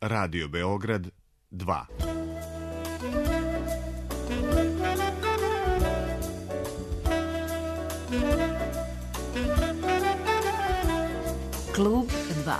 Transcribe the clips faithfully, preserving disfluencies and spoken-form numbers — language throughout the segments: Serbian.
Radio Beograd dva. Klub dva.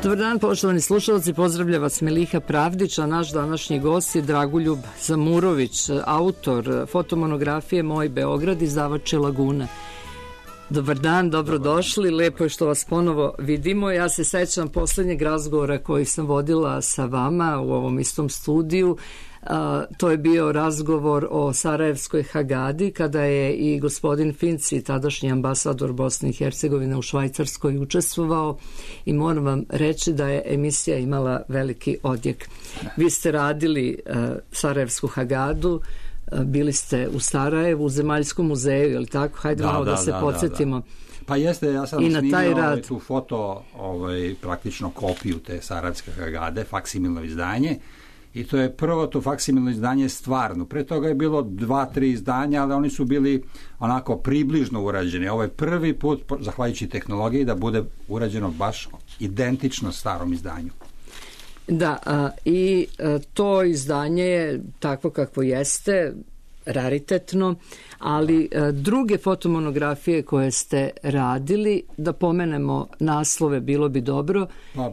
Dobar dan, poštovani slušalci, pozdravlja vas Miliha Pravdić, a naš današnji gost je Dragoljub Zamurović, autor fotomonografije Moj Beograd, izdavač Laguna. Dobar dan, dobrodošli, lepo je što vas ponovo vidimo. Ja se sećam poslednjeg razgovora koji sam vodila sa vama u ovom istom studiju. A, to je bio razgovor o Sarajevskoj Hagadi, kada je i gospodin Finci, tadašnji ambasador Bosne i Hercegovine u Švajcarskoj, učestvovao i moram vam reći da je emisija imala veliki odjek. Vi ste radili a, Sarajevsku Hagadu, a, bili ste u Sarajevu, u Zemaljskom muzeju, je li tako? Hajde da, malo da, da se da, podsjetimo. Da, da. Pa jeste, ja sam snimio ovaj, tu foto, ovaj, praktično kopiju te Sarajevske Hagade, faksimilno izdanje. I to je prvo to faksimilno izdanje stvarno. Pre toga je bilo dva, tri izdanja, ali oni su bili onako približno urađeni. Ovo je prvi put, zahvaljujući tehnologiji, da bude urađeno baš identično starom izdanju. Da, a, i a, to izdanje je takvo kakvo jeste, raritetno, ali a, druge fotomonografije koje ste radili, da pomenemo naslove, bilo bi dobro. Pa,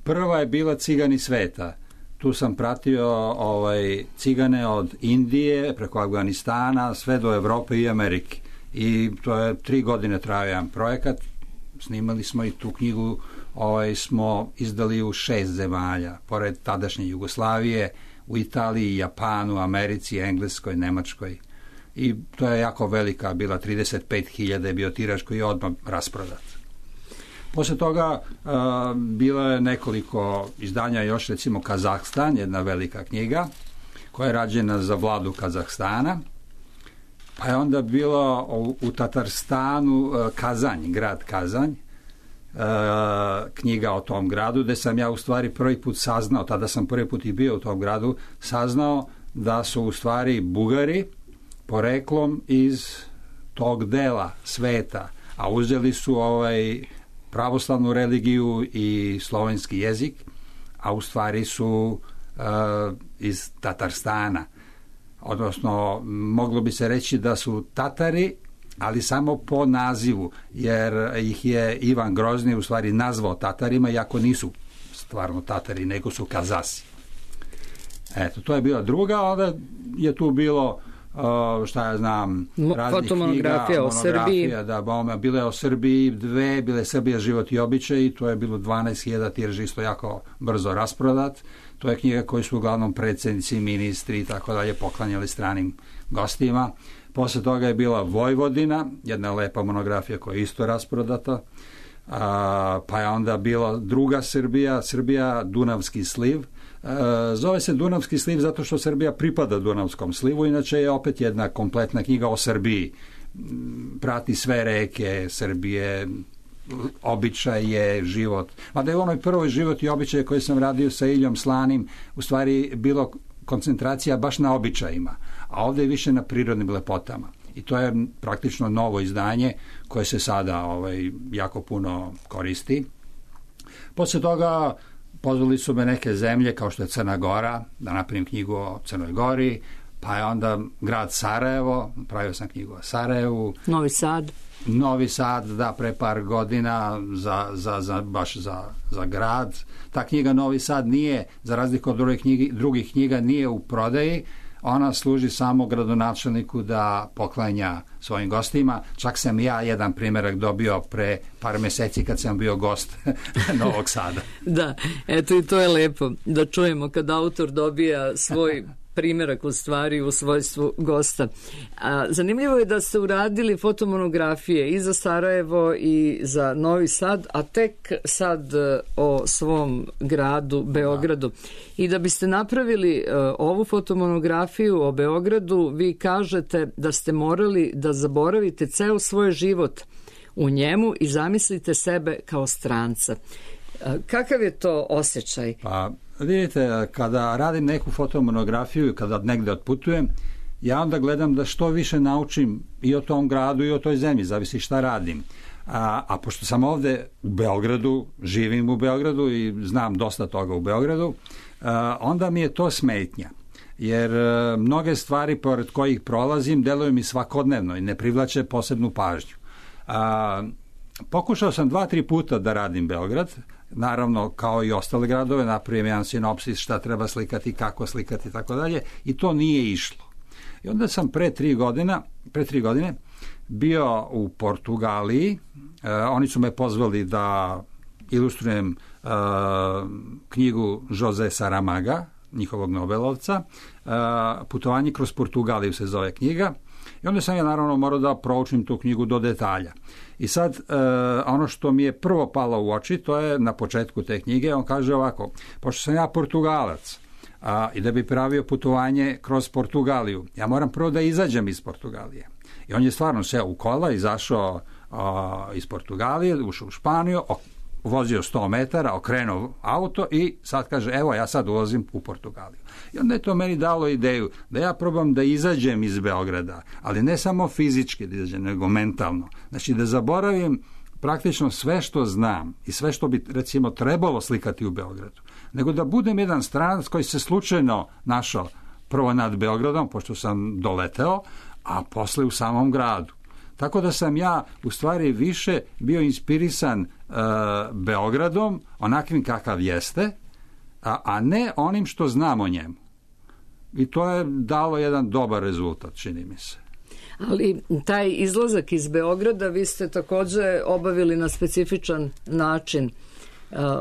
prva je bila Cigani sveta. Tu sam pratio ovaj, cigane od Indije preko Afganistana sve do Evrope i Amerike. I to je tri godine trajao jedan projekat. Snimali smo i tu knjigu, ovaj, smo izdali u šest zemalja, pored tadašnje Jugoslavije, u Italiji, Japanu, Americi, Engleskoj, Nemačkoj. I to je jako velika, bila trideset pet hiljada je bio tiraž koji je odmah rasprodat. Posle toga uh, bilo je nekoliko izdanja, još recimo Kazahstan, jedna velika knjiga koja je rađena za vladu Kazahstana, pa je onda bilo u, u Tatarstanu uh, Kazanj, grad Kazanj, uh, knjiga o tom gradu, gde sam ja u stvari prvi put saznao, tada sam prvi put i bio u tom gradu, saznao da su u stvari Bugari poreklom iz tog dela sveta, a uzeli su ovaj pravoslavnu religiju i slovenski jezik, a u stvari su uh, iz Tatarstana. Odnosno, moglo bi se reći da su Tatari, ali samo po nazivu, jer ih je Ivan Grozni u stvari nazvao Tatarima, iako nisu stvarno Tatari, nego su Kazasi. Eto, to je bila druga, onda je tu bilo Uh, šta ja znam, raznih fotomonografija knjiga, o Srbiji. Da, bome, bile o Srbiji dve, bile Srbija, život i običaj, to je bilo dvanaest hiljada tiraž, isto jako brzo rasprodat. To je knjiga koju su uglavnom predsjednici, ministri i tako dalje poklanjali stranim gostima. Posle toga je bila Vojvodina, jedna lepa monografija koja je isto rasprodata. Uh, pa je onda bila druga Srbija, Srbija, Dunavski sliv. Uh, zove se Dunavski sliv zato što Srbija pripada Dunavskom slivu, inače je opet jedna kompletna knjiga o Srbiji. Prati sve reke Srbije, običaje, život. Mada je u onoj prvoj život i običaje koje sam radio sa Iljom Slanim u stvari bilo koncentracija baš na običajima, a ovdje je više na prirodnim lepotama. I to je praktično novo izdanje koje se sada ovaj, jako puno koristi. Posle toga pozvali su me neke zemlje kao što je Crna Gora, da napravim knjigu o Crnoj Gori, pa je onda grad Sarajevo, pravio sam knjigu o Sarajevu. Novi Sad. Novi Sad, da, pre par godina za, za, za, baš za, za grad. Ta knjiga Novi Sad nije, za razliku od drugih knjigi, drugih knjiga, nije u prodaji. Ona služi samo gradonačelniku da poklanja svojim gostima. Čak sam ja jedan primjerak dobio pre par meseci kad sam bio gost Novog Sada. Da, eto i to je lepo da čujemo kad autor dobija svoj primjerak u stvari u svojstvu gosta. A, zanimljivo je da ste uradili fotomonografije i za Sarajevo i za Novi Sad, a tek sad o svom gradu Beogradu. I da biste napravili uh, ovu fotomonografiju o Beogradu, vi kažete da ste morali da zaboravite ceo svoj život u njemu i zamislite sebe kao stranca. Uh, kakav je to osjećaj? Pa, vidite, kada radim neku fotomonografiju i kada negde otputujem, ja onda gledam da što više naučim i o tom gradu i o toj zemlji, zavisi šta radim. A, a pošto sam ovde u Beogradu, živim u Beogradu i znam dosta toga u Beogradu, a, onda mi je to smetnja. Jer a, mnoge stvari pored kojih prolazim deluju mi svakodnevno i ne privlače posebnu pažnju. A, pokušao sam dva, tri puta da radim Beograd, naravno kao i ostale gradove, napravim jedan sinopsis šta treba slikati, kako slikati i tako dalje, i to nije išlo. I onda sam pre tri godina, pre tri godine bio u Portugaliji. E, oni su me pozvali da ilustrujem e, knjigu Jose Saramaga, njihovog Nobelovca. E, Putovanje kroz Portugaliju se zove knjiga. I onda sam ja naravno morao da proučim tu knjigu do detalja. I sad e, ono što mi je prvo palo u oči, to je na početku te knjige, on kaže ovako: pošto sam ja Portugalac, a, i da bi pravio putovanje kroz Portugaliju, ja moram prvo da izađem iz Portugalije. I on je stvarno seo u kola, izašao a, iz Portugalije, ušao u Španiju, o, vozio sto metara, okrenuo auto i sad kaže, evo ja sad ulazim u Portugaliju. I onda je to meni dalo ideju da ja probam da izađem iz Beograda, ali ne samo fizički da izađem, nego mentalno. Znači da zaboravim praktično sve što znam i sve što bi recimo trebalo slikati u Beogradu, nego da budem jedan stranac koji se slučajno našao prvo nad Beogradom, pošto sam doleteo, a posle u samom gradu. Tako da sam ja u stvari više bio inspirisan e, Beogradom, onakvim kakav jeste, a, a ne onim što znam o njemu. I to je dalo jedan dobar rezultat, čini mi se. Ali taj izlazak iz Beograda vi ste takođe obavili na specifičan način,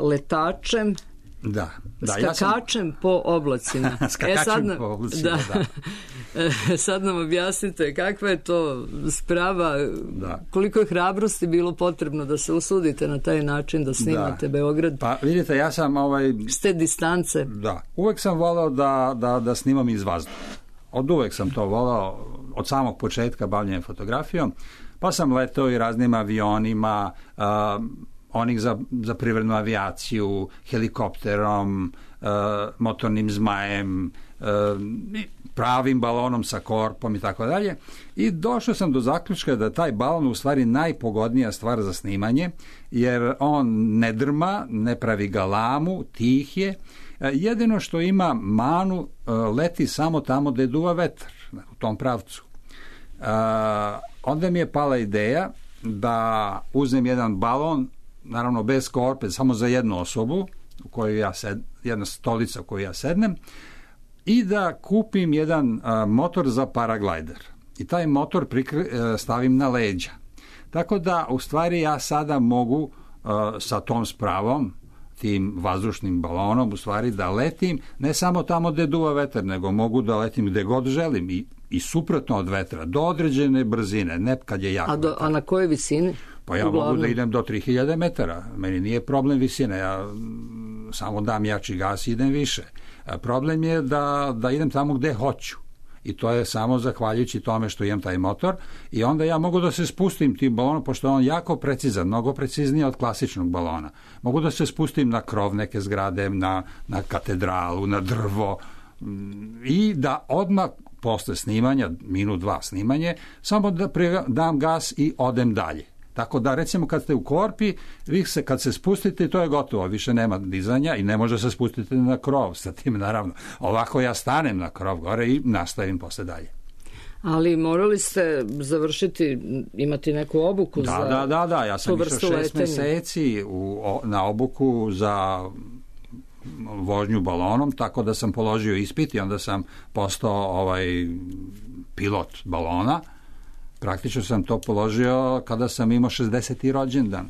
letačem, da, da, skakačem ja sam... po oblacima. skakačem e, sad nam, po oblacima, da. da. Sad nam objasnite kakva je to sprava, da. Koliko je hrabrosti bilo potrebno da se usudite na taj način da snimate da. Beograd. Pa vidite, ja sam ovaj... s te distance. Da, uvek sam volao da, da, da snimam iz vazduha. Od uvek sam to volao, od samog početka bavljenja fotografijom, pa sam letao i raznim avionima, uh, onih za, za privrednu avijaciju, helikopterom, uh, motornim zmajem, uh, pravim balonom sa korpom i tako dalje. I došao sam do zaključka da taj balon u stvari najpogodnija stvar za snimanje, jer on ne drma, ne pravi galamu, tih je. Jedino što ima manu, leti samo tamo gde duva vetar, u tom pravcu. Onda mi je pala ideja da uzmem jedan balon, naravno bez korpe, samo za jednu osobu, u kojoj ja sed, jedna stolica u kojoj ja sednem, i da kupim jedan motor za paraglajder. I taj motor prikri, stavim na leđa. Tako da, u stvari, ja sada mogu sa tom spravom, tim vazdušnim balonom, u stvari da letim ne samo tamo gde duva vetar, nego mogu da letim gde god želim i, i suprotno od vetra, do određene brzine, ne kad je jako a, do, a na kojoj visini? Pa ja Uglavnom. mogu da idem do tri hiljade metara. Meni nije problem visine, ja samo dam jači gas i idem više. A problem je da, da idem tamo gde hoću. I to je samo zahvaljujući tome što imam taj motor, i onda ja mogu da se spustim tim balonom, pošto je on jako precizan, mnogo precizniji od klasičnog balona. Mogu da se spustim na krov neke zgrade, na, na katedralu, na drvo, i da odmah posle snimanja, minut dva snimanje, samo da dam gas i odem dalje. Tako da, recimo, kad ste u korpi, vi se, kad se spustite, to je gotovo, više nema dizanja i ne može se spustiti na krov sa tim, naravno. Ovako ja stanem na krov gore i nastavim posle dalje. Ali morali ste završiti, imati neku obuku da, za Da, da, da, ja sam išao šest letenja. meseci u, o, na obuku za vožnju balonom, tako da sam položio ispit i onda sam postao ovaj pilot balona. Praktično sam to položio kada sam imao šezdeseti rođendan.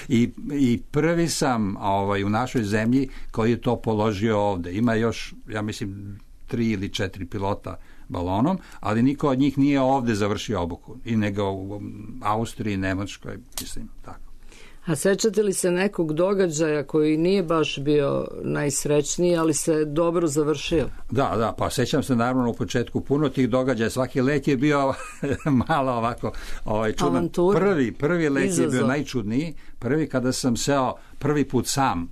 I, I prvi sam ovaj, u našoj zemlji koji je to položio ovde. Ima još, ja mislim, tri ili četiri pilota balonom, ali niko od njih nije ovde završio obuku, i nego u Austriji, Nemačkoj, mislim, tako. A sećate li se nekog događaja koji nije baš bio najsrećniji, ali se dobro završio? Da, da, pa sećam se naravno u početku puno tih događaja, svaki let je bio malo ovako ovaj, čudan. Avantura. Prvi, prvi let Izazov. je bio najčudniji, prvi kada sam seo prvi put sam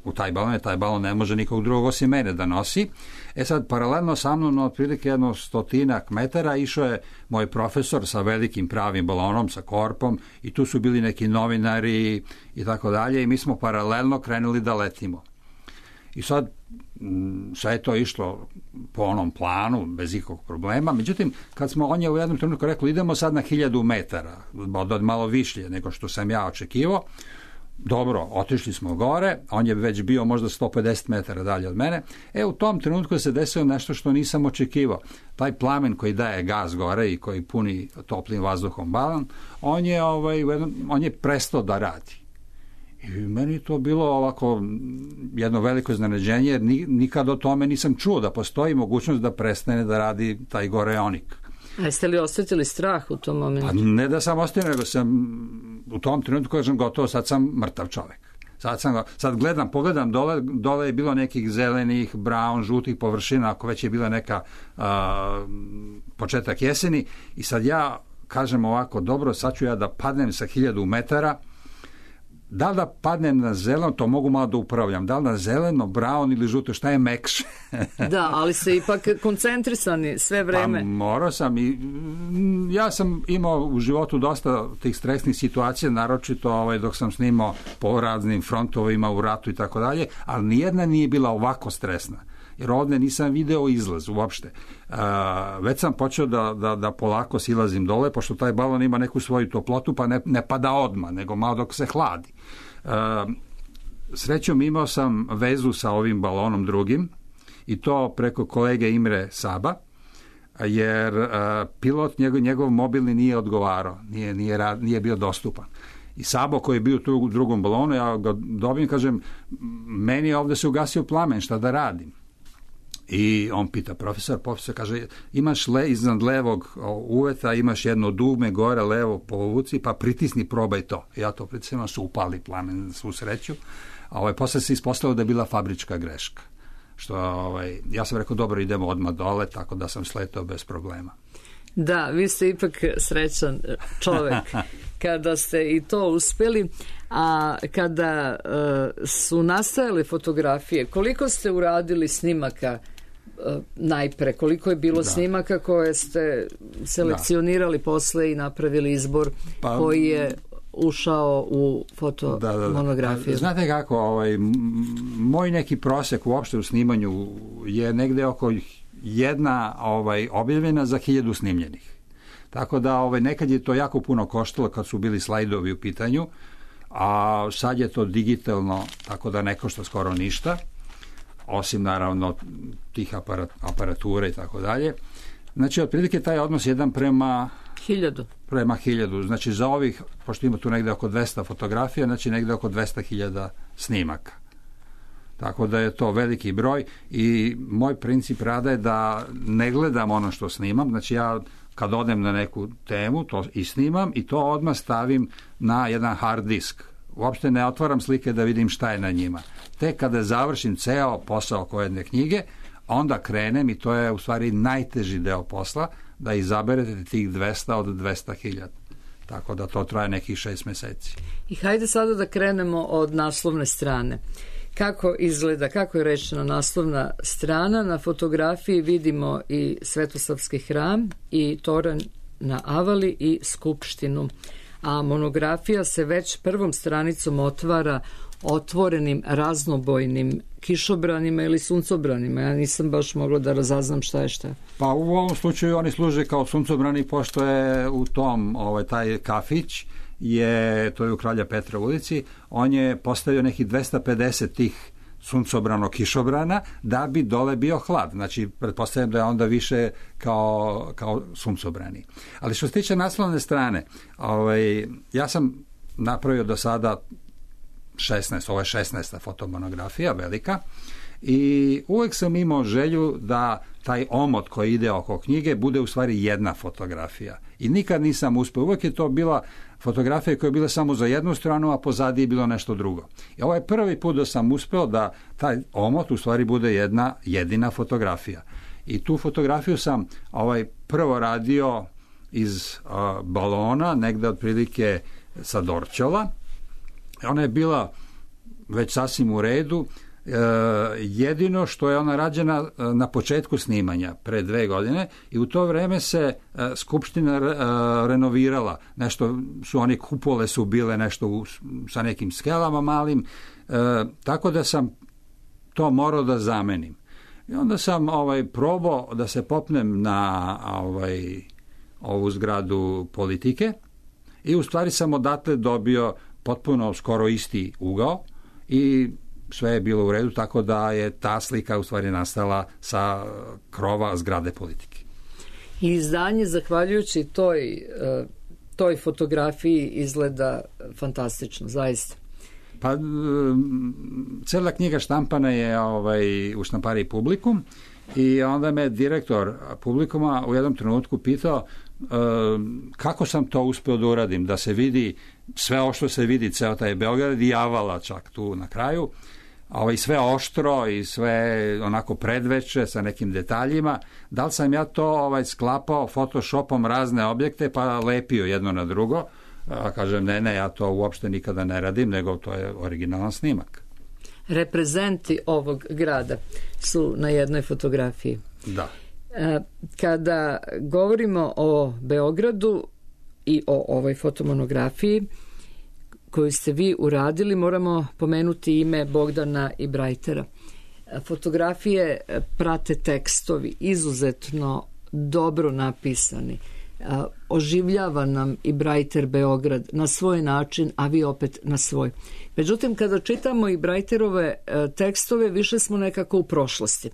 u taj balon, taj balon ne može nikog drugog osim mene da nosi. E sad, paralelno sa mnom, na otprilike jedno stotinak metara, išao je moj profesor sa velikim pravim balonom, sa korpom, i tu su bili neki novinari i tako dalje, i mi smo paralelno krenuli da letimo. I sad, sve je to išlo po onom planu, bez ikakvog problema. Međutim, kad smo, on je u jednom trenutku rekao, idemo sad na hiljadu metara, malo višlje nego što sam ja očekivao. Dobro, otišli smo gore, on je već bio možda sto pedeset metara dalje od mene. E, u tom trenutku se desilo nešto što nisam očekivao. Taj plamen koji daje gas gore i koji puni toplim vazduhom balon, on je, ovaj, on je prestao da radi. I meni to bilo ovako jedno veliko iznenađenje, jer nikad o tome nisam čuo da postoji mogućnost da prestane da radi taj goreonik. A jeste li osjetili strah u tom momentu? Pa ne da sam ostavio, nego sam u tom trenutku kažem gotovo, sad sam mrtav čovek. Sad, sam, sad gledam, pogledam dole, dole je bilo nekih zelenih, brown, žutih površina, ako već je bila neka a, početak jeseni, i sad ja kažem ovako, dobro, sad ću ja da padnem sa hiljadu metara. Da li da padnem na zeleno, to mogu malo da upravljam. Da li na zeleno, brown ili žuto, šta je mekše? Da, ali se ipak koncentrisani sve vreme. Pa morao sam i ja sam imao u životu dosta tih stresnih situacija, naročito ovaj, dok sam snimao po raznim frontovima u ratu i tako dalje, ali nijedna nije bila ovako stresna. Jer ovdje nisam video izlaz uopšte. Uh, već sam počeo da, da, da polako silazim dole, pošto taj balon ima neku svoju toplotu, pa ne, ne pada odmah, nego malo dok se hladi. Uh, srećom imao sam vezu sa ovim balonom drugim, i to preko kolege Imre Saba, jer uh, pilot, njegov, njegov mobilni nije odgovarao, nije, nije, rad, nije bio dostupan. I Sabo koji je bio tu u drugom balonu, ja ga dobijem, kažem, meni je ovdje se ugasio plamen, šta da radim? I on pita profesor, profesor kaže, imaš le, iznad levog uveta, imaš jedno dugme gore, levo povuci, pa pritisni, probaj to. Ja to pritisnem, su upali plamen, svu sreću. A ovaj, posle se ispostavilo da je bila fabrička greška. Što, ovaj, ja sam rekao, dobro, idemo odmah dole, tako da sam sletao bez problema. Da, vi ste ipak srećan čovek kada ste i to uspeli, a kada uh, su nastajale fotografije, koliko ste uradili snimaka uh, najpre, koliko je bilo da. snimaka koje ste selekcionirali da. posle i napravili izbor pa, koji je ušao u fotomonografiju? Da, da, da. Znate kako, ovaj, moj neki prosek uopšte u snimanju je negde oko jedna ovaj, objavljena za hiljadu snimljenih. Tako da ovaj, nekad je to jako puno koštalo kad su bili slajdovi u pitanju, a sad je to digitalno, tako da ne košta skoro ništa, osim naravno tih aparat, aparatura i tako dalje. Znači, otprilike taj odnos jedan prema hiljadu. Prema hiljadu. Znači, za ovih, pošto ima tu negde oko dvesta fotografija, znači negde oko dvesta hiljada snimaka. Tako da je to veliki broj i moj princip rada je da ne gledam ono što snimam, znači ja kad odem na neku temu to i snimam i to odmah stavim na jedan hard disk. Uopšte ne otvaram slike da vidim šta je na njima. Tek kada završim ceo posao oko jedne knjige, onda krenem i to je u stvari najteži deo posla, da izaberete tih dvesta od dvesta hiljada. Tako da to traje nekih šest meseci. I hajde sada da krenemo od naslovne strane. Kako izgleda, kako je rečena naslovna strana? Na fotografiji vidimo i Svetosavski hram i toranj na Avali i Skupštinu. A monografija se već prvom stranicom otvara otvorenim raznobojnim kišobranima ili suncobranima. Ja nisam baš mogla da razaznam šta je šta. Pa u ovom slučaju oni služe kao suncobrani, pošto je u tom ovaj, taj kafić je, to je u Kralja Petra ulici, on je postavio nekih dvesta pedeset tih suncobrano kišobrana da bi dole bio hlad. Znači, pretpostavljam da je onda više kao, kao suncobrani. Ali što se tiče naslovne strane, ovaj, ja sam napravio do sada šesnaest, ovo je šesnaesta fotomonografija, velika, i uvek sam imao želju da taj omot koji ide oko knjige bude u stvari jedna fotografija. I nikad nisam uspeo. Uvek je to bila fotografija koja je bila samo za jednu stranu, a pozadi je bilo nešto drugo. I ovo je prvi put da sam uspeo da taj omot u stvari bude jedna jedina fotografija. I tu fotografiju sam ovaj prvo radio iz uh, balona, negde otprilike sa Dorćola. Ona je bila već sasvim u redu. E, jedino što je ona rađena na početku snimanja pre dve godine i u to vreme se e, Skupština re, e, renovirala. Nešto su oni kupole su bile nešto u, sa nekim skelama malim, e, tako da sam to morao da zamenim. I onda sam ovaj probao da se popnem na ovaj ovu zgradu Politike i u stvari sam odatle dobio potpuno skoro isti ugao i sve je bilo u redu, tako da je ta slika u stvari nastala sa krova zgrade Politike. I izdanje, zahvaljujući toj, toj fotografiji, izgleda fantastično, zaista. Pa, cela knjiga štampana je ovaj, u štampariji Publikum i onda me direktor Publikuma u jednom trenutku pitao kako sam to uspeo da uradim, da se vidi sve ovo što se vidi, ceo taj Beograd i Avala čak tu na kraju, ovaj, sve oštro i sve onako predveče sa nekim detaljima. Da li sam ja to ovaj, sklapao Photoshopom razne objekte pa lepio jedno na drugo? A kažem, ne, ne, ja to uopšte nikada ne radim, nego to je originalan snimak. Reprezenti ovog grada su na jednoj fotografiji. Da. Kada govorimo o Beogradu i o ovoj fotomonografiji koju ste vi uradili, moramo pomenuti ime Bogdana Ibrajtera. Fotografije prate tekstovi, izuzetno dobro napisani. Oživljava nam Ibrajter Beograd na svoj način, a vi opet na svoj. Međutim, kada čitamo Ibrajterove tekstove, više smo nekako u prošlosti.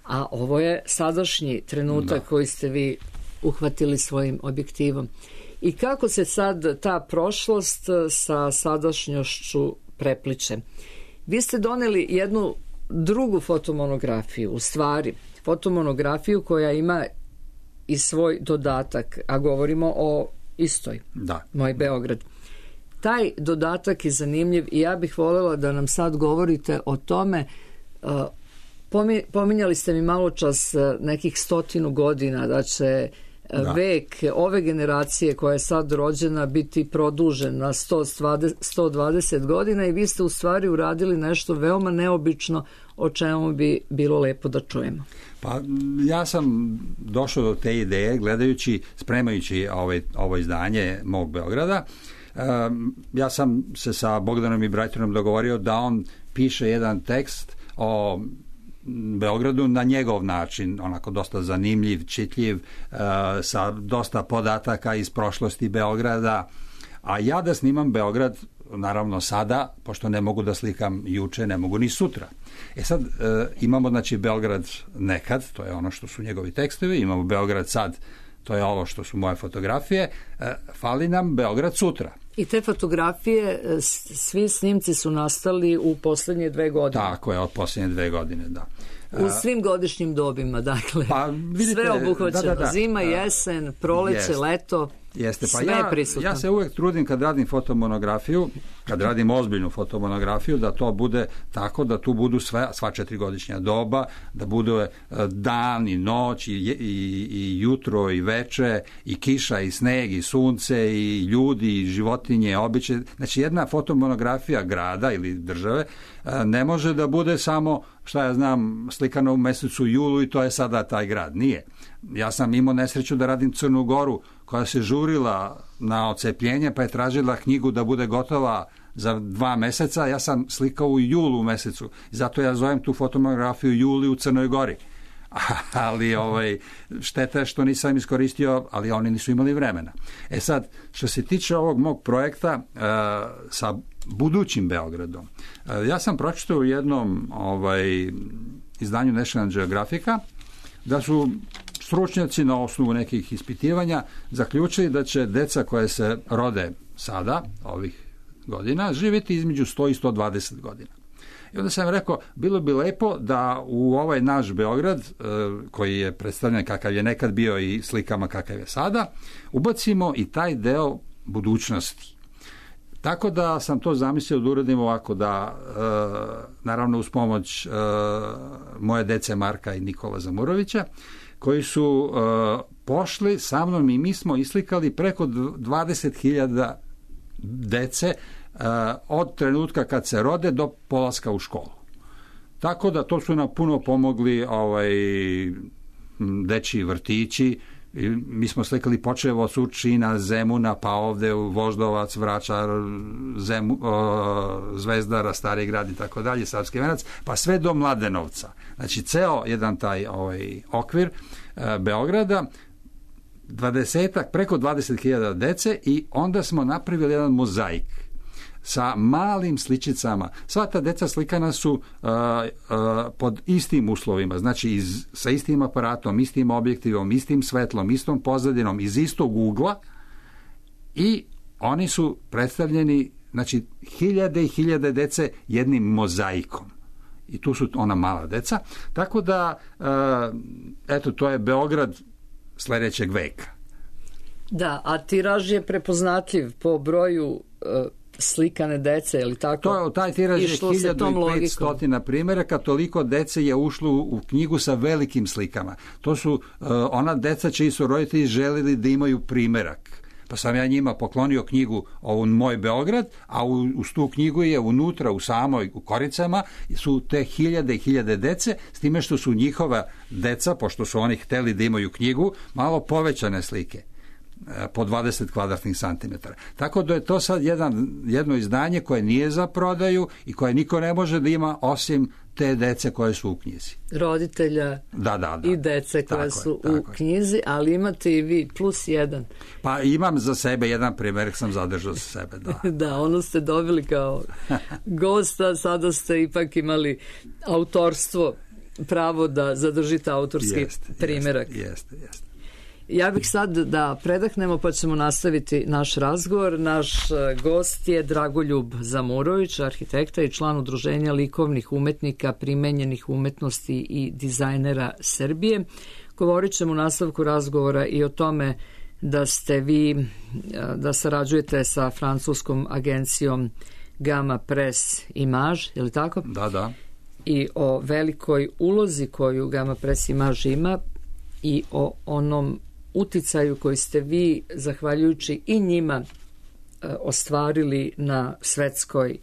A ovo je sadašnji trenutak da. Koji ste vi uhvatili svojim objektivom. I kako se sad ta prošlost sa sadašnjošću prepliče? Vi ste doneli jednu drugu fotomonografiju, u stvari fotomonografiju koja ima i svoj dodatak, a govorimo o istoj, da. Moj Beograd. Taj dodatak je zanimljiv i ja bih voljela da nam sad govorite o tome. Pominjali ste mi malo čas nekih stotinu godina da će da. Vek ove generacije koja je sad rođena biti produžen na sto dvadeset godina i vi ste u stvari uradili nešto veoma neobično o čemu bi bilo lepo da čujemo. Pa ja sam došao do te ideje gledajući, spremajući ovaj, ovo izdanje mog Beograda. Um, ja sam se sa Bogdanom Ibrajterom dogovorio da on piše jedan tekst o Beogradu na njegov način, onako dosta zanimljiv, čitljiv, uh, sa dosta podataka iz prošlosti Beograda, a ja da snimam Beograd naravno sada, pošto ne mogu da slikam juče, ne mogu ni sutra. E sad, uh, imamo znači Beograd nekad, to je ono što su njegovi tekstovi, imamo Beograd sad, to je ovo što su moje fotografije, uh, fali nam Beograd sutra. I te fotografije, svi snimci su nastali u posljednje dve godine. Tako je, od posljednje dve godine, da. U svim godišnjim dobima, dakle. Pa, vidite, sve obuhvaćeno. Da, da, da. Zima, jesen, proleće, Jest. leto. Jeste, pa sve ja, je prisutno. Ja se uvek trudim kad radim fotomonografiju, kad radim ozbiljnu fotomonografiju, da to bude tako da tu budu sve, sva četirigodišnja doba, da bude dan i noć i, i, i jutro i veče i kiša i sneg i sunce i ljudi i životinje, običaje. Znači jedna fotomonografija grada ili države ne može da bude samo, šta ja znam, slikano u mesecu julu i to je sada taj grad. Nije. Ja sam imao nesreću da radim Crnu Goru koja se žurila na ocepljenje pa je tražila knjigu da bude gotova za dva meseca. Ja sam slikao u julu mesecu. Zato ja zovem tu fotomonografiju Juli u Crnoj Gori. Ali ovaj, šteta je što nisam iskoristio, ali oni nisu imali vremena. E sad, što se tiče ovog mog projekta uh, sa budućim Beogradom, uh, ja sam pročitao u jednom ovaj, izdanju National Geographica da su stručnjaci na osnovu nekih ispitivanja zaključili da će deca koje se rode sada, ovih godina, živjeti između sto i sto dvadeset godina. I onda sam rekao, bilo bi lepo da u ovaj naš Beograd, koji je predstavljen kakav je nekad bio i slikama kakav je sada, ubacimo i taj deo budućnosti. Tako da sam to zamislio da uradim ovako, da naravno uz pomoć moje dece Marka i Nikola Zamurovića, koji su pošli sa mnom i mi smo islikali preko dvadeset hiljada dece od trenutka kad se rode do polaska u školu. Tako da to su nam puno pomogli ovaj, dečiji vrtići. Mi smo slikali počev od Surčina, Zemuna, pa ovde u Voždovac, Vračar, Zemu, o, Zvezdara, Stari grad i tako dalje, Savski venac, pa sve do Mladenovca. Znači, ceo jedan taj ovaj, okvir e, Beograda, dvadesetak, preko dvadeset hiljada dece i onda smo napravili jedan mozaik sa malim sličicama. Sva ta deca slikana su uh, uh, pod istim uslovima, znači iz, sa istim aparatom, istim objektivom, istim svetlom, istom pozadinom, iz istog ugla i oni su predstavljeni, znači hiljade i hiljade dece jednim mozaikom. I tu su ona mala deca. Tako da, uh, eto, to je Beograd sledećeg veka. Da, a tiraž je prepoznatljiv po broju uh, slikane dece, je li tako? To, taj tiraž je hiljadu i petsto primjeraka, toliko dece je ušlo u knjigu sa velikim slikama. To su uh, ona deca čiji su roditelji želeli da imaju primjerak. Pa sam ja njima poklonio knjigu ovu Moj Beograd, a u, uz tu knjigu je unutra, u samoj, u koricama, su te hiljade i hiljade dece, s time što su njihova deca, pošto su oni hteli da imaju knjigu, malo povećane slike po dvadeset kvadratnih santimetara. Tako da je to sad jedan, jedno izdanje koje nije za prodaju i koje niko ne može da ima osim te dece koje su u knjizi. Roditelja da, da, da. i dece koje tako su je, u knjizi, ali imate i vi plus jedan. Pa imam za sebe jedan primjer, sam zadržao za sebe, da. Da, ono ste dobili kao gosta, sada ste ipak imali autorstvo, pravo da zadržite autorski jest, primjerak. Jeste, jeste, jeste. Ja bih sad da predahnemo pa ćemo nastaviti naš razgovor. Naš gost je Dragoljub Zamurović, arhitekta i član Udruženja likovnih umetnika, primenjenih umetnosti i dizajnera Srbije. Govorit ćemo u nastavku razgovora i o tome da ste vi, da sarađujete sa francuskom agencijom Gamma Press Image, je li tako? Da, da. I o velikoj ulozi koju Gamma Press Image ima i o onom uticaju koji ste vi, zahvaljujući i njima, ostvarili na svetskoj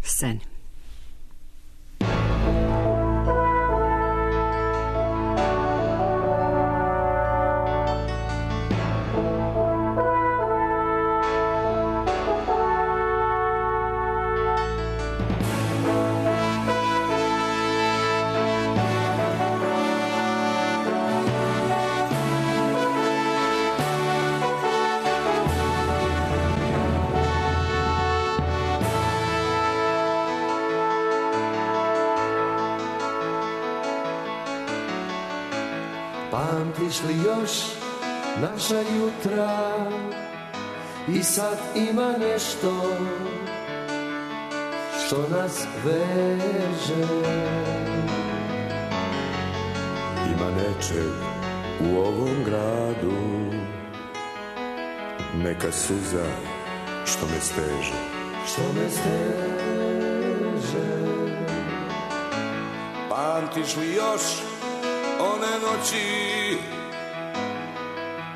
sceni. Pamtiš li još naša jutra i sad ima nešto što nas veže. Ima nečeg u ovom gradu, neka suza što me steže. Što me steže. Pamtiš li još one noći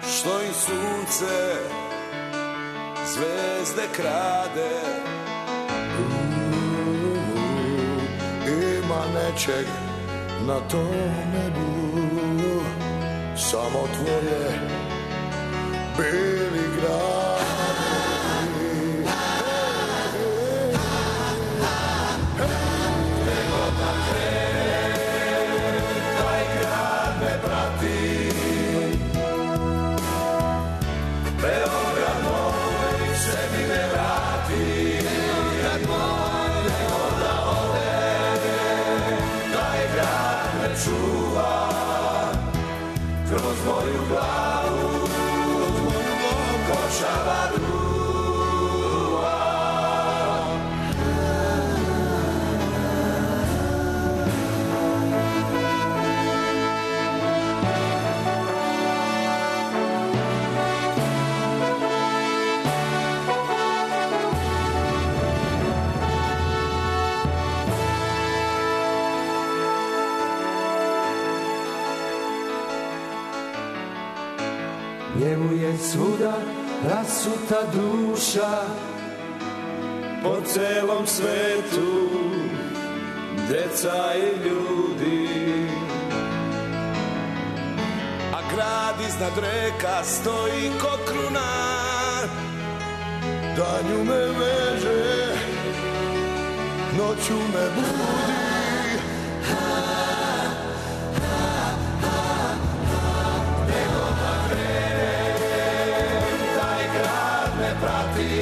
što im sunce zvezde krade? Ima nečeg na tom nebu, samo tvoje beli gradi. Nego da krene, taj grad me prati. Beograd moj se mi ne vrati. Beograd moj, nego da ode, taj grad me čuva. Kroz moju glavu, kroz moju glavu, košava ruva. njemu je svuda rasuta duša. Po celom svetu deca i ljudi, a grad iznad reka stoji ko kruna, danju me veže, noću me budi. Gde god da krenem, taj grad me prati.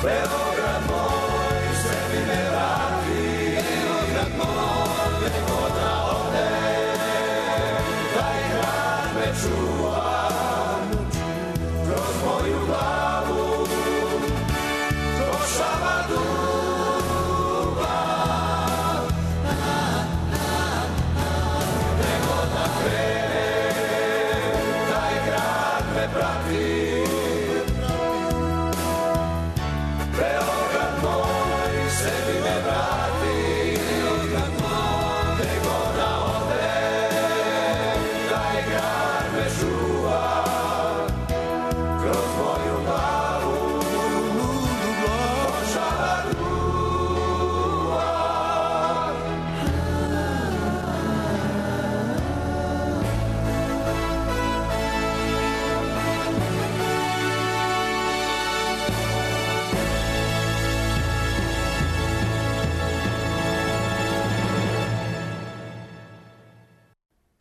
Beograd moj, sebi me vrati. Beograd moj, gde god da odem, taj grad me čuva. Kroz moju glavu prošava dubav. Gde god da krenem, taj grad me prati. Beograd moj, sebi me vrati. Beograd moj, gde god da odem, taj grad me čuva. Kroz moju glavu, moju ludu glavu, prošava duva.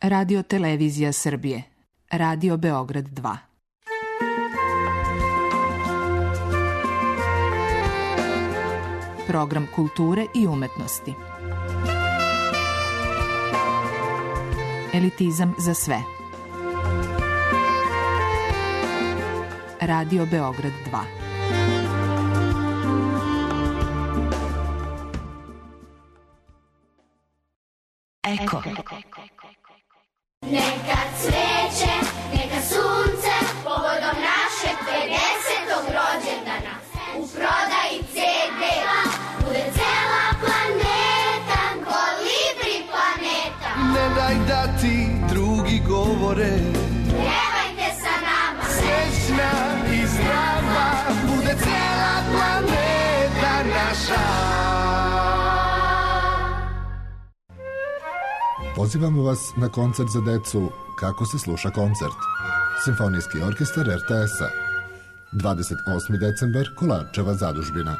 Radio Televizija Srbije. Radio Beograd dva. Program kulture i umetnosti. Elitizam za sve. Radio Beograd dva. Eko. Neka cveće, neka sunce, povodom našeg pedesetog rođendana. U prodaji ce de bude cela planeta, Kolibri planeta. Ne daj da ti drugi govore, Pjevajte sa nama, srećna i zdrava, bude cela planeta naša. Pozivamo vas na koncert za decu Kako se sluša koncert. Simfonijski orkestar er te es-a. dvadeset osmi decembar, Kolarčeva zadužbina.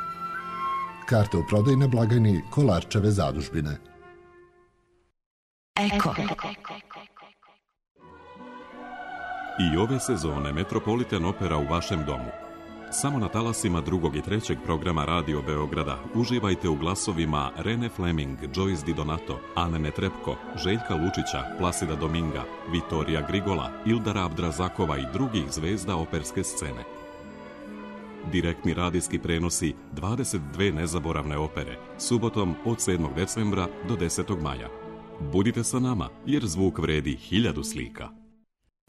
Karte u prodaji na blagajni Kolarčeve zadužbine. Eko. I ove sezone Metropolitan Opera u vašem domu. Samo na talasima drugog i trećeg programa Radio Beograda uživajte u glasovima Rene Fleming, Joyce Di Donato, Ane Netrebko, Željka Lučića, Plasida Dominga, Vitorija Grigola, Ildara Abdrazakova i drugih zvezda operske scene. Direktni radijski prenosi dvadeset dve nezaboravne opere, subotom od sedmog decembra do desetog maja. Budite sa nama, jer zvuk vredi hiljadu slika.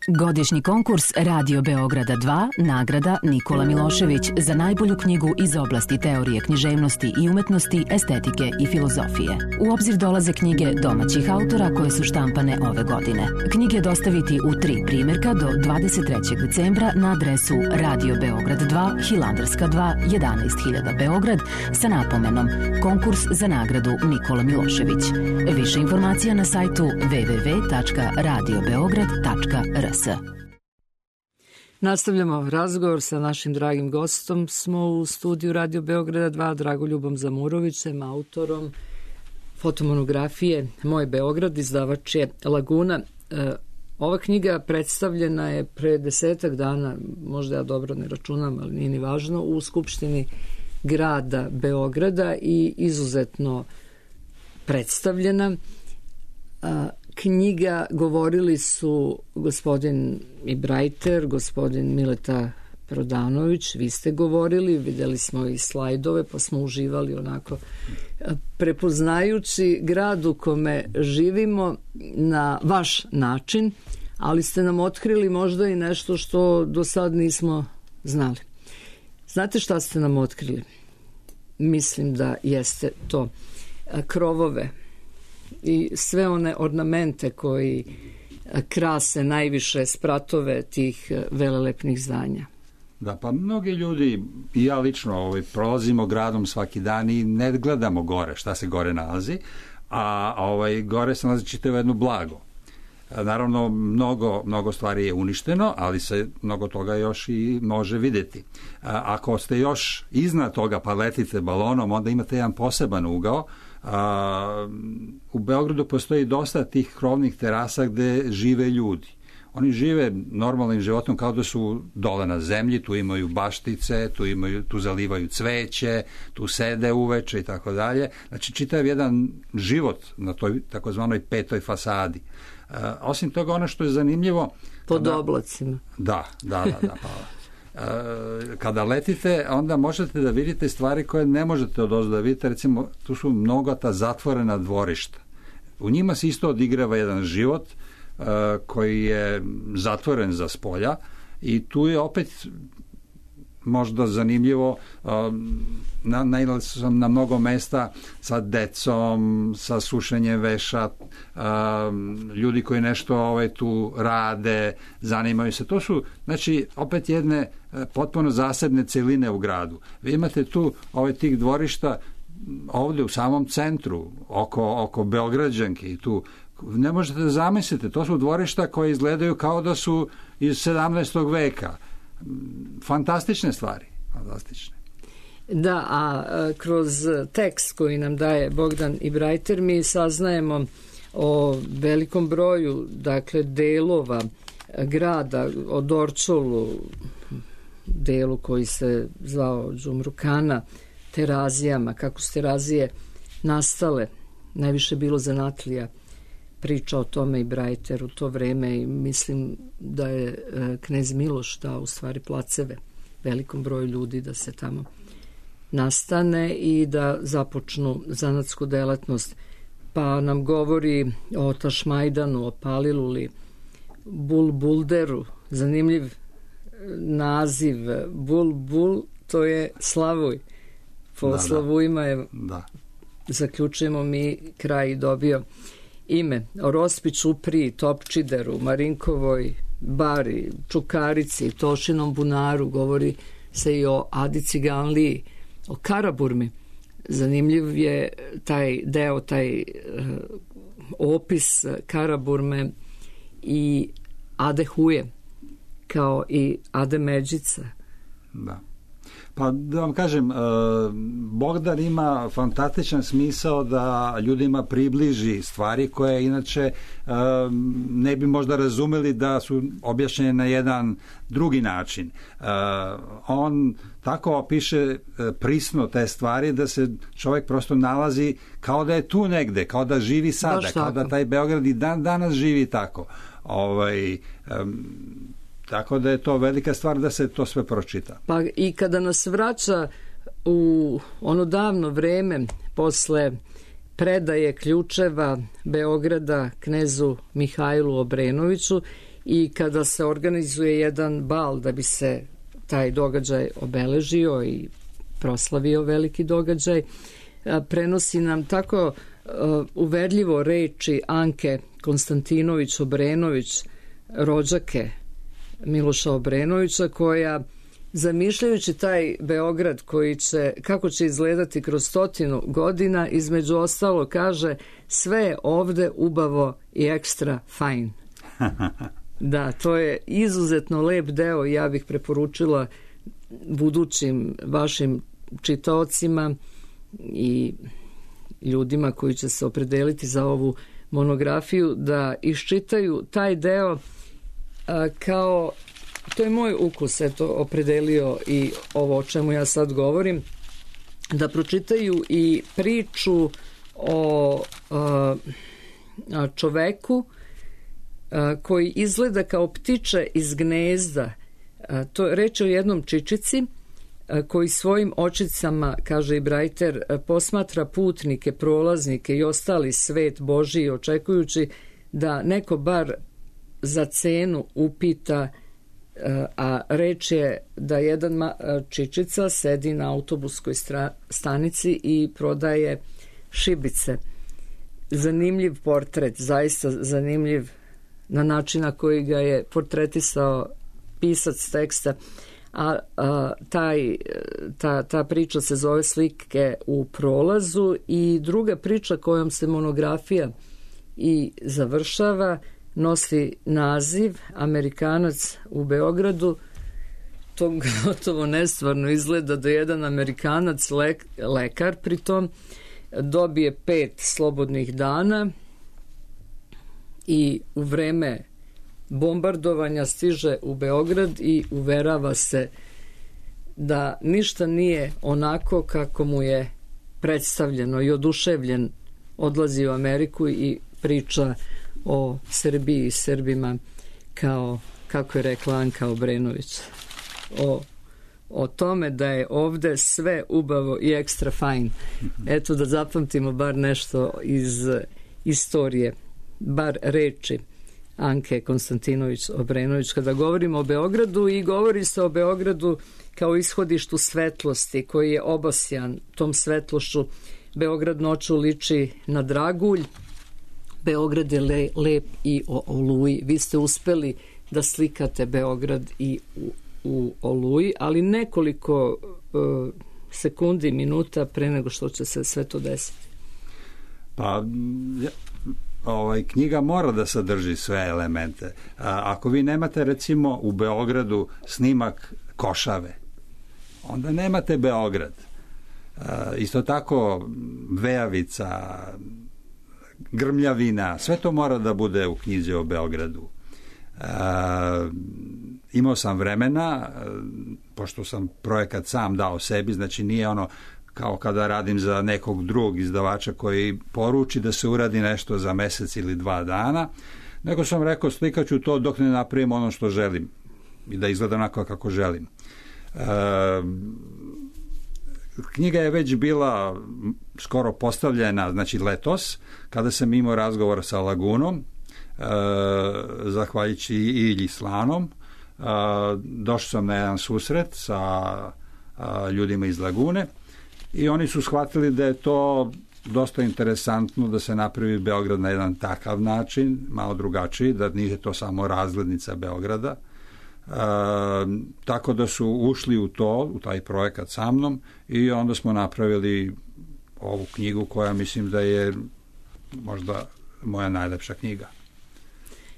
Godišnji konkurs Radio Beograda dva, nagrada Nikola Milošević za najbolju knjigu iz oblasti teorije književnosti i umetnosti, estetike i filozofije. U obzir dolaze knjige domaćih autora koje su štampane ove godine. Knjige dostaviti u tri primjerka do dvadeset trećeg decembra na adresu Radio Beograd dva, Hilandarska dva, jedanaest hiljada Beograd sa napomenom Konkurs za nagradu Nikola Milošević. Više informacija na sajtu w w w tačka radio beograd tačka r s. Nastavljamo razgovor sa našim dragim gostom. Smo u studiju Radio Beograda dva, Dragoljubom Zamurovićem, autorom fotomonografije Moj Beograd, izdavač je Laguna. E, ova knjiga predstavljena je pre desetak dana, možda ja dobro ne računam, ali nije ni važno, u Skupštini grada Beograda i izuzetno predstavljena. A, knjiga govorili su gospodin Ibrajter, gospodin Mileta Prodanović, vi ste govorili, videli smo i slajdove, pa smo uživali onako prepoznajući grad u kome živimo na vaš način, ali ste nam otkrili možda i nešto što do sad nismo znali. Znate šta ste nam otkrili? Mislim da jeste to. Krovove i sve one ornamente koji krase najviše spratove tih velelepnih zdanja. Da, pa mnogi ljudi, i ja lično, ovaj, prolazimo gradom svaki dan i ne gledamo gore, šta se gore nalazi, a ovaj, gore se nalazi čitavo jedno blago. Naravno, mnogo, mnogo stvari je uništeno, ali se mnogo toga još i može vidjeti. Ako ste još iznad toga pa letite balonom, onda imate jedan poseban ugao. U Beogradu postoji dosta tih krovnih terasa gde žive ljudi. Oni žive normalnim životom kao da su dole na zemlji, tu imaju baštice, tu, imaju, tu zalivaju cveće, tu sede uveče i tako dalje. Znači, čitav jedan život na toj takozvanoj petoj fasadi. Uh, osim toga, ono što je zanimljivo... Pod kada, oblacima. Da, da, da. da pa, uh, kada letite, onda možete da vidite stvari koje ne možete odozdo da vidite. Recimo, tu su mnoga ta zatvorena dvorišta. U njima se isto odigrava jedan život uh, koji je zatvoren za spolja i tu je opet možda zanimljivo, na, nailazio sam na mnogo mesta sa decom, sa sušenjem veša, ljudi koji nešto ovaj, tu rade, zanimaju se. To su, znači, opet jedne potpuno zasebne celine u gradu. Vi imate tu ovaj, tih dvorišta ovdje u samom centru, oko, oko Beograđanke i tu. Ne možete da zamislite, to su dvorišta koje izgledaju kao da su iz sedamnaestog veka. Fantastične stvari, fantastične. Da, a kroz tekst koji nam daje Bogdan Ibrajter mi saznajemo o velikom broju, dakle, delova grada, o Dorčolu, delu koji se zvao Đumrukana, Terazijama, kako su Terazije nastale, najviše bilo zanatlija. Priča o tome i Brajter u to vreme i mislim da je e, knez Miloš dao u stvari placeve velikom broju ljudi da se tamo nastane i da započnu zanatsku delatnost. Pa nam govori o Tašmajdanu, o Paliluli, Bulbulderu, zanimljiv naziv. Bulbul, to je Slavuj. Po da, Slavujima je, da. Zaključujemo mi, kraj dobio ime. O Rospi, Čupriji, Topčideru, Marinkovoj bari, Čukarici, Tošinom bunaru, govori se i o Adi Ciganliji, o Karaburmi. Zanimljiv je taj deo, taj uh, opis Karaburme i Ade Huje, kao i Ade Međica. Da. Pa da vam kažem, Bogdan ima fantastičan smisao da ljudima približi stvari koje inače ne bi možda razumeli da su objašnjene na jedan drugi način. On tako opiše prisno te stvari da se čovjek prosto nalazi kao da je tu negde, kao da živi sada, kao da taj Beograd i dan danas živi tako. Ovaj... Um, Tako da je to velika stvar da se to sve pročita. Pa i kada nas vraća u ono davno vreme posle predaje ključeva Beograda knezu Mihajlu Obrenoviću i kada se organizuje jedan bal da bi se taj događaj obeležio i proslavio veliki događaj, prenosi nam tako uverljivo reči Anke Konstantinović Obrenović, rođake Miloša Obrenovića, koja zamišljajući taj Beograd koji će, kako će izgledati kroz stotinu godina, između ostalo kaže sve je ovde ubavo i ekstra fajn. Da, to je izuzetno lep deo i ja bih preporučila budućim vašim čitaocima i ljudima koji će se opredeliti za ovu monografiju da iščitaju taj deo. Kao, to je moj ukus, eto, opredelio i ovo o čemu ja sad govorim, da pročitaju i priču o a, čoveku a, koji izgleda kao ptiče iz gnezda. A, to je reč o jednom čičici a, koji svojim očicama, kaže i Brajter, posmatra putnike, prolaznike i ostali svet Božiji, očekujući da neko bar za cenu upita, a reč je da jedan čičica sedi na autobuskoj stanici i prodaje šibice. Zanimljiv portret, zaista zanimljiv na način na koji ga je portretisao pisac teksta, a, a taj, ta, ta priča se zove Slike u prolazu, i druga priča kojom se monografija i završava nosi naziv Amerikanac u Beogradu. To gotovo nestvarno izgleda da jedan Amerikanac, lek, lekar pritom, dobije pet slobodnih dana i u vreme bombardovanja stiže u Beograd i uverava se da ništa nije onako kako mu je predstavljeno, i oduševljen odlazi u Ameriku i priča o Srbiji i Srbima kao, kako je rekla Anka Obrenović, o, o tome da je ovde sve ubavo i ekstra fajn. Eto, da zapamtimo bar nešto iz istorije, bar reči Anke Konstantinović Obrenović kada govorimo o Beogradu, i govori se o Beogradu kao ishodištu svetlosti koji je obasjan tom svetlošću. Beograd noću liči na dragulj, Beograd je le, lep i o oluji. Vi ste uspeli da slikate Beograd i u, u oluji, ali nekoliko uh, sekundi, minuta pre nego što će se sve to desiti. Pa ovaj, knjiga mora da sadrži sve elemente. A, ako vi nemate recimo u Beogradu snimak Košave, onda nemate Beograd. A, isto tako Vejavica, Grmljavina, sve to mora da bude u knjizi o Beogradu. A, imao sam vremena, pošto sam projekat sam dao sebi, znači nije ono kao kada radim za nekog drugog izdavača koji poruči da se uradi nešto za mesec ili dva dana, nego sam rekao slikaću to dok ne napravim ono što želim i da izgleda onako kako želim. E, knjiga je već bila skoro postavljena, znači letos, kada sam imao razgovor sa Lagunom, e, zahvaljujući Ilji Slanom, e, došao sam na jedan susret sa a, ljudima iz Lagune, i oni su shvatili da je to dosta interesantno da se napravi Beograd na jedan takav način, malo drugačiji, da nije to samo razglednica Beograda. E, tako da su ušli u to, u taj projekat sa mnom, i onda smo napravili ovu knjigu koja mislim da je možda moja najlepša knjiga.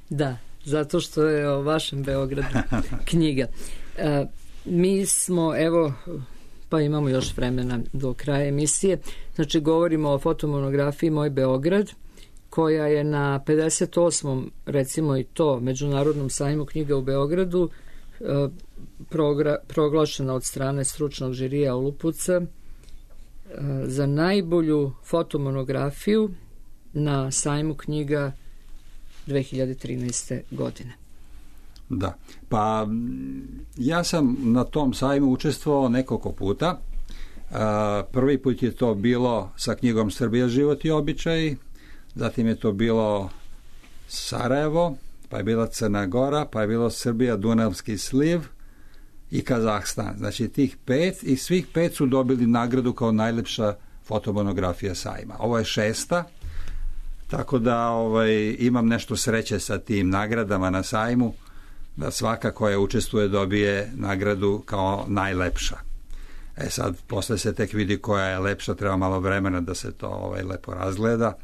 Da, zato što je o vašem Beogradu knjiga. E, mi smo, evo, pa imamo još vremena do kraja emisije. Znači, govorimo o fotomonografiji Moj Beograd, koja je na pedeset osmom recimo i to, Međunarodnom sajmu knjiga u Beogradu, e, progra, proglašena od strane stručnog žirija Olupuca e, za najbolju fotomonografiju na sajmu knjiga dve hiljade trinaeste. godine. Da, pa ja sam na tom sajmu učestvovao nekoliko puta. Prvi put je to bilo sa knjigom Srbija, život i običaji, zatim je to bilo Sarajevo, pa je bila Crna Gora, pa je bilo Srbija, Dunavski sliv i Kazahstan. Znači tih pet, i svih pet su dobili nagradu kao najlepša fotomonografija sajma. Ovo je šesta, tako da ovaj, imam nešto sreće sa tim nagradama na sajmu, da svaka koja učestvuje dobije nagradu kao najlepša. E sad, posle se tek vidi koja je lepša, treba malo vremena da se to ovaj, lepo razgleda.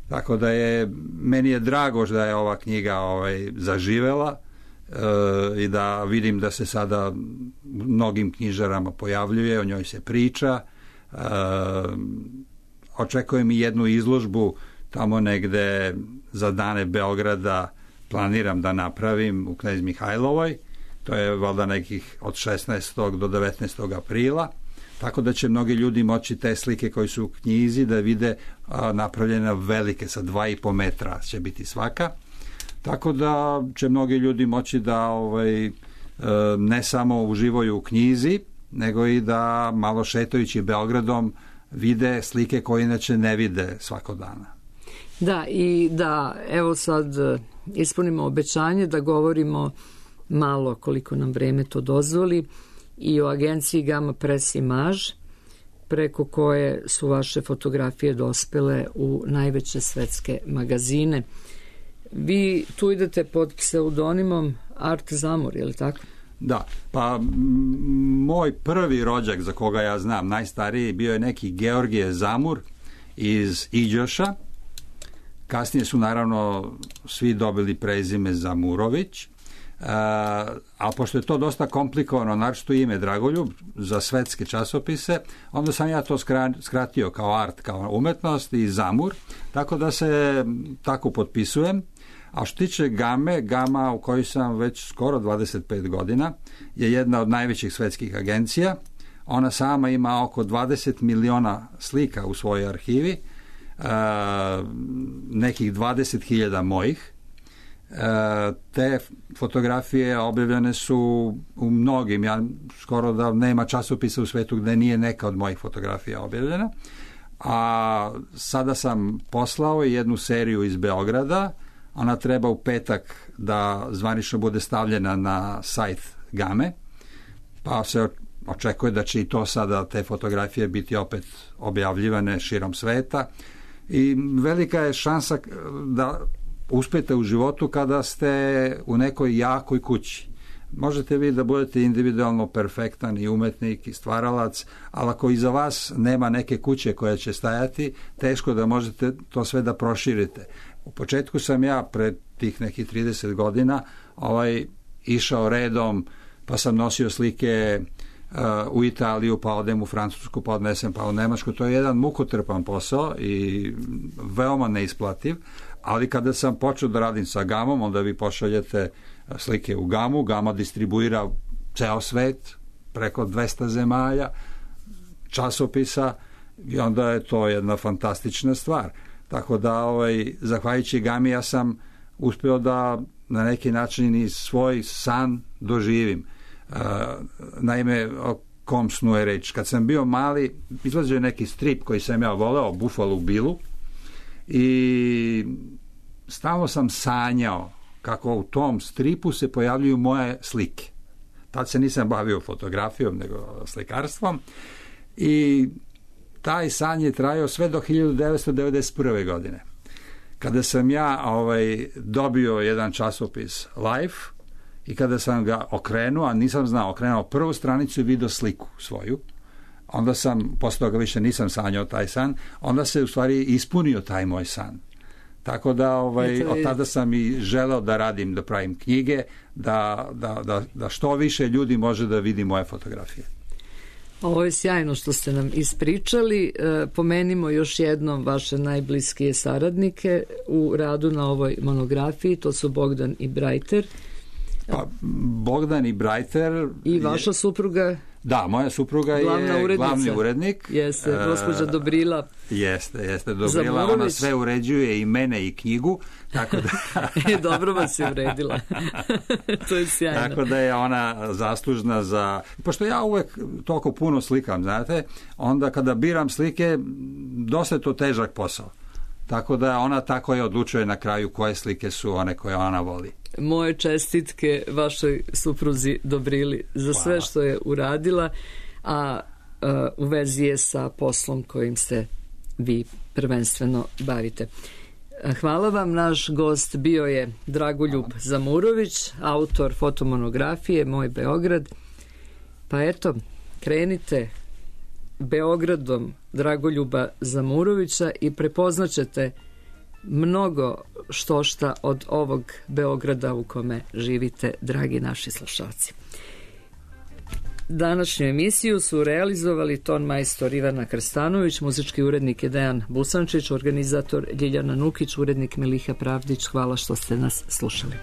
Tako da je, meni je drago da je ova knjiga ovaj, zaživela e, i da vidim da se sada mnogim knjižarama pojavljuje, o njoj se priča. E, očekujem i jednu izložbu tamo negde za dane Beograda, planiram da napravim u Knez Mihajlovoj, to je valjda nekih od šesnaestog do devetnaestog aprila, tako da će mnogi ljudi moći te slike koji su u knjizi da vide a, napravljene velike, sa dva i po metra će biti svaka, tako da će mnogi ljudi moći da ovaj, e, ne samo uživaju u knjizi, nego i da malo šetajući Beogradom vide slike koje inače ne vide svakog dana. Da, i da, evo sad ispunimo obećanje da govorimo malo, koliko nam vreme to dozvoli, i o agenciji Gamma Press Image, preko koje su vaše fotografije dospele u najveće svetske magazine. Vi tu idete pod pseudonimom Art Zamur, je li tako? Da, pa m, moj prvi rođak za koga ja znam, najstariji, bio je neki Georgije Zamur iz Iđoša. Kasnije su naravno svi dobili prezime Zamurović, Uh, a pošto je to dosta komplikovano, naročito ime Dragoljub za svetske časopise, onda sam ja to skratio kao art, kao umetnost i Zamur, tako da se tako potpisujem. A što tiče Game, Gama u kojoj sam već skoro dvadeset pet godina, je jedna od najvećih svetskih agencija. Ona sama ima oko dvadeset miliona slika u svojoj arhivi, uh, nekih dvadeset hiljada mojih. Te fotografije objavljene su u mnogim, ja skoro da nema časopisa u svetu gde nije neka od mojih fotografija objavljena, a sada sam poslao jednu seriju iz Beograda, ona treba u petak da zvanično bude stavljena na sajt Game, pa se očekuje da će i to sada te fotografije biti opet objavljivane širom sveta i velika je šansa da uspete u životu kada ste u nekoj jakoj kući. Možete vi da budete individualno perfektan i umetnik i stvaralac, ali ako iza vas nema neke kuće koja će stajati, teško da možete to sve da proširite. U početku sam ja pred tih nekih trideset godina ovaj, išao redom, pa sam nosio slike uh, u Italiju, pa odem u Francusku, pa odnesem pa u Nemačku. To je jedan mukotrpan posao i veoma neisplativ. Ali kada sam počeo da radim sa Gamom, onda vi pošaljete slike u Gamu, Gama distribuira ceo svet, preko dvesta zemalja, časopisa i onda je to jedna fantastična stvar. Tako da, ovaj, zahvaljujući Gami, ja sam uspeo da na neki način i svoj san doživim. Uh, naime, o kom snu je reč? Kad sam bio mali, izlazio je neki strip koji sam ja voleo, Buffalo Billu, i stalno sam sanjao kako u tom stripu se pojavljuju moje slike. Tad se nisam bavio fotografijom, nego slikarstvom i taj san je trajao sve do hiljadu devetsto devedeset prve. godine. Kada sam ja ovaj, dobio jedan časopis Life i kada sam ga okrenuo, a nisam znao, okrenuo prvu stranicu i video sliku svoju, onda sam, posle toga više nisam sanjao taj san, onda se u stvari ispunio taj moj san. Tako da ovaj, od tada sam i želeo da radim, da pravim knjige, da, da, da, da što više ljudi može da vidi moje fotografije. Ovo je sjajno što ste nam ispričali. E, pomenimo još jednom vaše najbliskije saradnike u radu na ovoj monografiji, to su Bogdan i Brajter. Pa, Bogdan i Brajter... I vaša supruga... Da, moja supruga je urednica. Glavni urednik. Jeste, gospođa Dobrila. Jeste, jeste, Dobrila. Zamurović. Ona sve uređuje i mene i knjigu. Tako da... e, dobro vas je uredila. To je sjajno. Tako da je ona zaslužna za... Pošto ja uvek toliko puno slikam, znate, onda kada biram slike, dosta je to težak posao. Tako da ona tako je odlučuje na kraju koje slike su one koje ona voli. Moje čestitke vašoj supruzi Dobrili za sve Hvala. Što je uradila, a, a u vezi je sa poslom kojim se vi prvenstveno bavite. Hvala vam. Naš gost bio je Dragoljub Hvala. Zamurović, autor fotomonografije Moj Beograd. Pa eto, krenite Beogradom Dragoljuba Zamurovića i prepoznaćete mnogo što šta od ovog Beograda u kome živite, dragi naši slušalci. Današnju emisiju su realizovali ton majstor Ivana Krstanović, muzički urednik je Dejan Busančić, organizator Ljiljana Nukić, urednik Miliha Pravdić. Hvala što ste nas slušali.